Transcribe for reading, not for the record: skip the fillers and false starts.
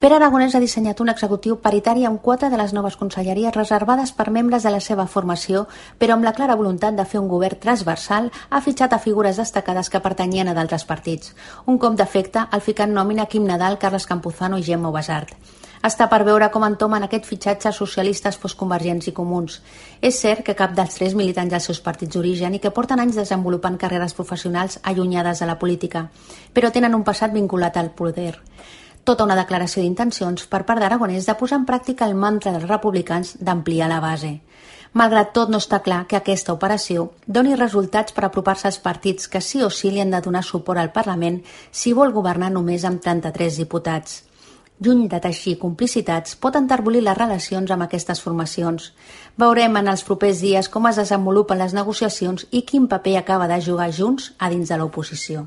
Pere Aragonès ha dissenyat un executiu paritari amb 4 de les noves conselleries reservades per membres de la seva formació, però amb la clara voluntat de fer un govern transversal ha fitxat a figures destacades que pertanyien a d'altres partits. Un cop d'efecte al ficar en nòmina Quim Nadal, Carles Campuzano i Gemma Ubasart. Està per veure com entomen aquest fitxatge socialistes, postconvergents i comuns. És cert que cap dels 3 militants als seus partits d'origen i que porten anys desenvolupant carreres professionals allunyades de la política, però tenen un passat vinculat al poder. Tota una declaració d'intencions per part d'Aragonès de posar en pràctica el mantra dels republicans d'ampliar la base. Malgrat tot, no està clar que aquesta operació doni resultats per apropar-se als partits que sí o sí li han de donar suport al Parlament si vol governar només amb 33 diputats. Lluny de teixir complicitats, pot enterbolir les relacions amb aquestes formacions. Veurem en els propers dies com es desenvolupen les negociacions i quin paper acaba de jugar Junts a dins de l'oposició.